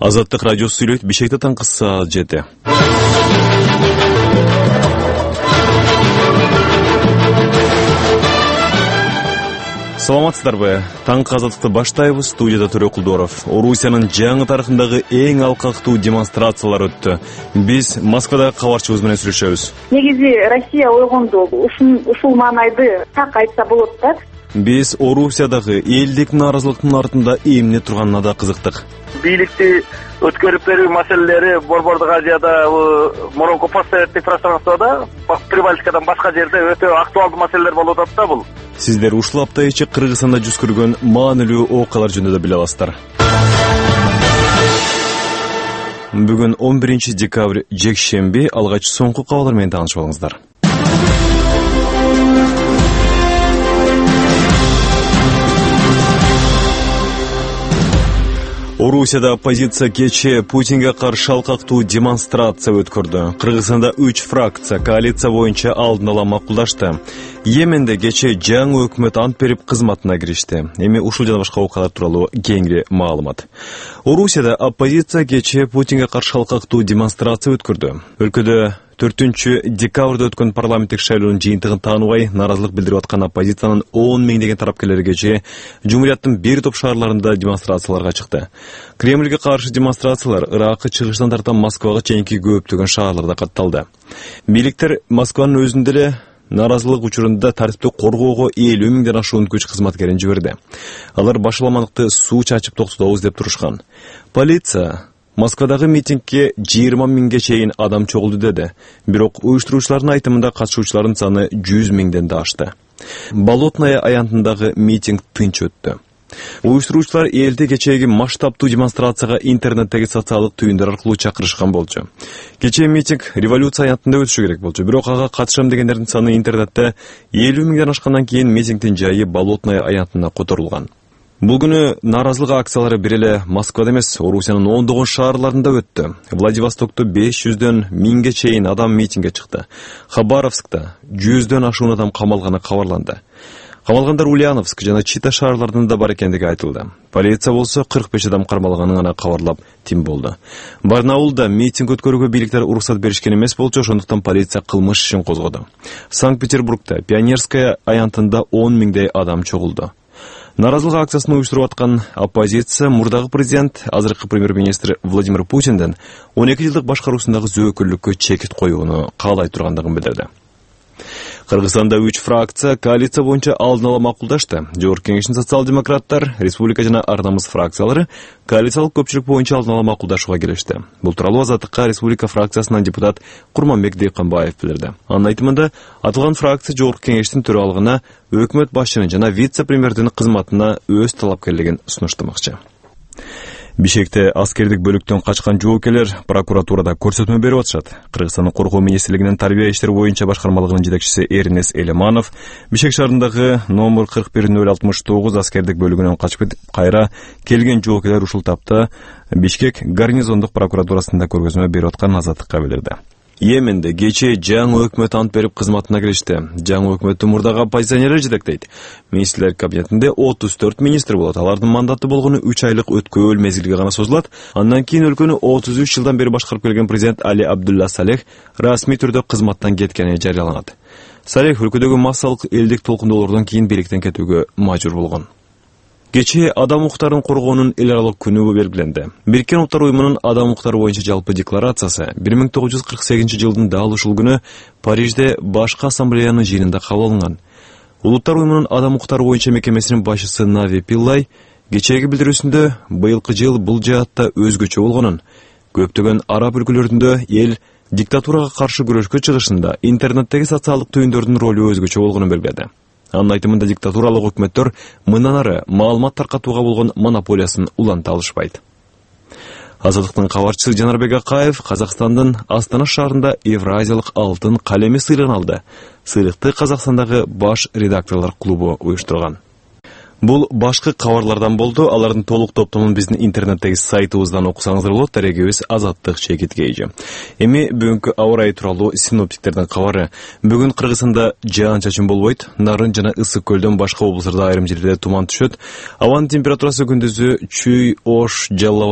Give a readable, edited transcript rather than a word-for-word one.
Азаттык радиосу сүйлөйт. Бишкекте таңкы саат 7. Саламатсыздарбы? Таңкы Азаттыкты баштайбыз. Студияда Төрө Кулдоров. Орусиянын жаңы тарыхындагы эң алкактуу демонстрациялар өттү. Биз Москвадагы кабарчыбыз менен сүйлөшөбүз. Негизи Россия ойгонду. Ушул маанайды так айтса болот да. Биз Орусиядагы элдик нааразылыктын артында эмне турганына да кызыктык. Бийликти өткөрүп берүү маселелери Борбордук Азияда, мурунку постсоветтик пространствода, Прибалтикадан башка жерде өтө актуалдуу маселелер болуп атат да бул. Сиздер ушул апта ичи Кыргызстанда жүз көргөн маанилүү окуялар жөнүндө да биле аласыздар. Бүгүн 11 декабрь жекшемби, алгач соңку кабарлар менен таанышып алыңыздар. Орусияда оппозиция кечээ Путинге каршы алкактуу демонстрация өткөрдү. Кыргызстанда 3 фракция коалиция боюнча алдын ала макулдашты. Йеменде кечээ жаңы өкмөт ант берип кызматына киришти. Эми ушул жана башка окуялар тууралуу кеңири маалымат. Орусияда оппозиция кечээ Путинге каршы алкактуу демонстрация өткөрдү. Өлкөдө 4 декабрда өткөн парламенттик шайлоонун жыйынтыгын тааныбай нааразылык билдирип аткан оппозициянын 10 миңдеген тарапкерлери кечээ Жумурияттын бир топ шаарларында демонстрацияларга чыкты. Кремльге каршы демонстрациялар Иракы чыгыштан тартан Москвага чейинки көптөгөн шаарларда катталды. Бийликтер Москванын өзүндө эле нааразылык учурунда тартипти коргоого 50 миңден ашуун күч кызматкерин жиберди. Алар башаламандыкты суу чачып токтотобуз деп турушкан. Полиция Москвадагы митингге 20 миңге чейин адам чогулду деди. Бирок уюштуруучулардын айтымында катышуучулардын саны 100 миңден да ашты. Болотная аянтындагы митинг тынч өттү. Уюштуруучулар элди кечээги масштабтуу демонстрацияга интернеттеги социалдык түйүндөр аркылуу чакырышкан болчу. Кечээ митинг революция аянтында өтүшү керек болчу. Бирок ага катышам дегендердин саны интернетте 50 миңден ашкандан кийин митингдин жайы Болотная аянтына которулган. Бул күнү нааразылык акциялары бир эле Москвада эмес, Орусиянын ондогон шаарларында өттү. Владивостокто 500дөн 1000ге чейин адам митингге чыкты. Хабаровскта 100дөн ашуун адам камалганы кабарланды. Камалгандар Ульяновск жана Чита шаарларында бар экендиги айтылды. Полиция болсо 45 адам кармалганын гана кабарлап тим болду. Барнаулда митинг өткөрүүгө бийликтер уруксат беришкен эмес болчу, ошондуктан полиция кылмыш ишин козгоду. Санкт-Петербургда Пионерская аянтында 10 миңдей адам чогулду. Нааразылык акциясын уюштуруп аткан оппозиция мурдагы президент, азыркы премьер-министр Владимир Путинден 12 жылдык башкаруусундагы зөөкүрлүккө чекит коюуну каалай тургандыгын билдирди. Кыргызстанда 3 фракция коалиция боюнча алдын ала макулдашты. Жогорку кеңештин социал-демократтар, республика жана Ар намыс фракциялары коалициялык көпчүлүк боюнча алдын ала макулдашууга келишти. Бул тууралуу Азаттыкка республика фракциясынан депутат Курманбек Дейканбаев билдирди. Анын айтымында, аталган фракция жогорку кеңештин төралыгына өкмөт башчынын жана вице-премьердин кызматына өз талапкерлигин сунуштамакчы. Бишкекте аскердик бөлүктөн качкан жоокерлер прокуратурада көрсөтмө берип атышат. Кыргызстандын коргоо министрлигинин тарбия иштери боюнча башкармалыгынын жетекчиси Эрнес Элеманов Бишкек шаарындагы номер 41-069 аскердик бөлүгүнөн качып кетип, кайра келген жоокерлер ушул тапта Бишкек гарнизондук прокуратурасында көргөзмө берип атканын Азаттыкка билдирди. Йеменде кечээ жаңы өкмөт ант берип кызматына киришти. Жаңы өкмөттү мурдагы оппозиционерлер жетектейт. Министрлер кабинетинде 34 министр болот. Алардын мандаты болгону 3 айлык өткөөл мезгилге гана созулат. Андан кийин өлкөнү 33 жылдан бери башкарып келген президент Али Абдулла Салех расмий түрдө кызматтан кеткени жарыяланат. Салех өлкөдөгү массалык элдик толкундоолордон кийин бийликтен кетүүгө мажбур болгон. Кечээ адам укуктарын коргоонун эл аралык күнү белгиленди. Бириккен Улуттар уюмунун адам укуктары боюнча жалпы декларациясы 1948 жылдын дал ушул күнү Парижде башкы ассамблеянын жыйынында кабыл алынган. Улуттар уюмунун адам укуктары боюнча мекемесинин башчысы Нави Пиллай кечээги билдирүүсүндө быйылкы жыл бул жаатта өзгөчө болгонун, көптөгөн араб өлкөлөрүндө эл диктатурага каршы күрөшкө чыгышында интернеттеги социалдык түйүндөрдүн ролу өзгөчө болгонун белгиледи. Анын айтымында диктатуралык өкмөттөр мындан ары маалымат таркатууга болгон монополиясын уланта алышпайт. Азаттыктын кабарчысы Жанарбек Акаев Казакстандын Астана шаарында Евразиялык алтын калеми сыйлыгын алды. Сыйлыкты Казакстандагы баш редакторлор клубу уюштурган. Бул башкы кабарлардан болду. Алардын толук топтомун биздин интернеттеги сайтыбыздан окусаңыздар болот. Дарегибиз Азаттык ЧКТ. Эми бүгүнкү аба ырайы тууралуу синоптиктердин кабары. Бүгүн Кыргызстанда жаан-чачын болбойт. Нарын жана Ысык көлдөн башка облустарда айрым жерлерде туман түшөт. Абанын температурасы күндүзү Чүй, Ош, Жалал